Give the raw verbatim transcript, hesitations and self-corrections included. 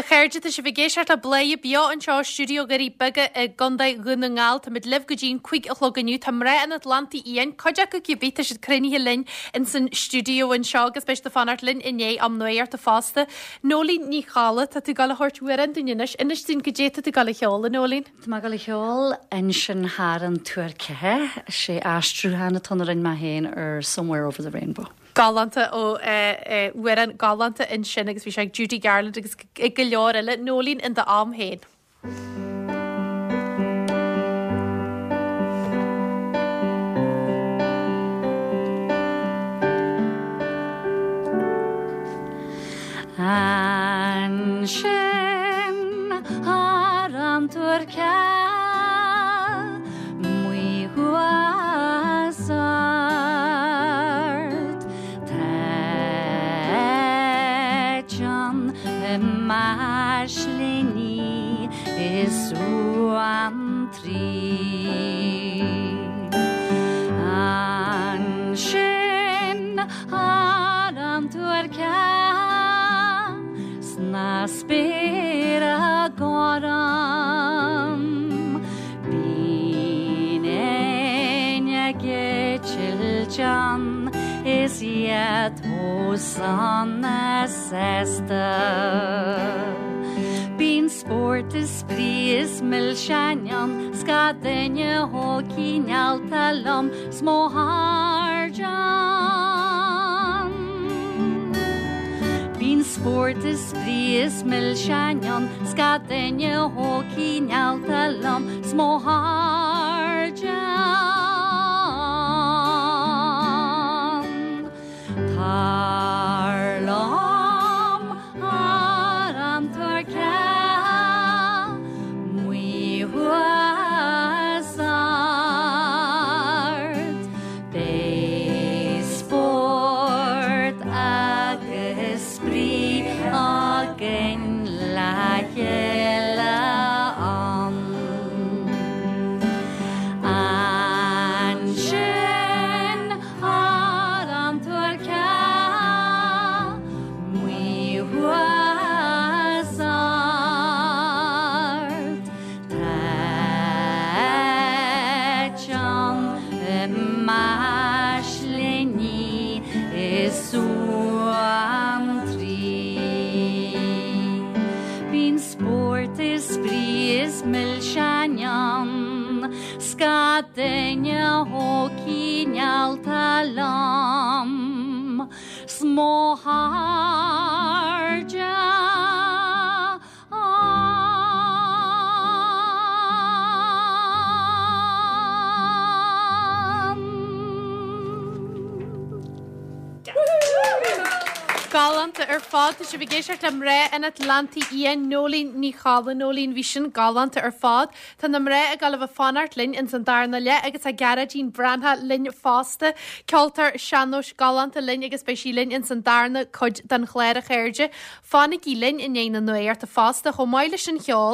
A chairde tá sibh ag éisteacht le Bladhaire Beo anseo i stiúideo Dhoirí Beaga i gContae Dhún na nGall Táimid libh go dtí an cúig a chlog inniu Tá mná an Atlantaigh Fhiáin cuid acu cibé tá siad cruinnithe linn in san stiúideo anseo agus beidh siad ag fanacht linn i ndiaidh am nuachta fosta. Nóilín Ní Cholla tá tú ag gabháil a thabhairt amhrán dúinn anois inis dúinn goidé tá tú ag gabháil a cheol a Nóilín. Tá mé ag gabháil a cheol ansin thar an tuar ceatha sé aistriúchán atá a rinne mé féin ar Somewhere Over the Rainbow. Galánta ó amhrán galánta ansin agus bhí sé ag Judy Garland agus ag go leor eile Nóilín in d'am féin. Ansin thar an tuar ceatha amuigh thuas ard Tá eiteann na maislíní is suantraí Ansin thar an tuar ceatha sna spéire gorm Bíonn éin ag eitilt ann is iad chomh sona sásta. Bíonn spórt is spraoi is milseáin ann 's gach duine chomh cineálta liom 's mo chairde ann. Bíonn spórt is spraoi is milseáin ann 's gach duine chomh cineálta liom 's mo chairde ann. Tar liom thar an tuar ceatha amuigh thuas ard Beidh spórt agus spraoi againn le chéile ann. Ansin thar an tuar ceatha amuigh thuas ard Tá eiteann na maislíní is suantraí. Bíonn spórt is spraoi is milseáin ann, 's gach duine chomh cineálta liom 's mo chairde ann. Galánta ar fad tá sibh ag éisteacht le mná an Atlantaigh Fhiáin Nóilín Ní Cholla Nóilín bhí sin galánta ar fad. Tá na mná ag gabháil a bheith ag fanacht linn ins an darna leath agus tá Gearóidín Breathnach linn fosta. Ceoltóir sean-nóis galánta linn agus beidh sí linn ins an darna cuid den chlár a chairde. Fanaigí linn i ndiaidh na nuachta fosta chomh maith leis an cheol.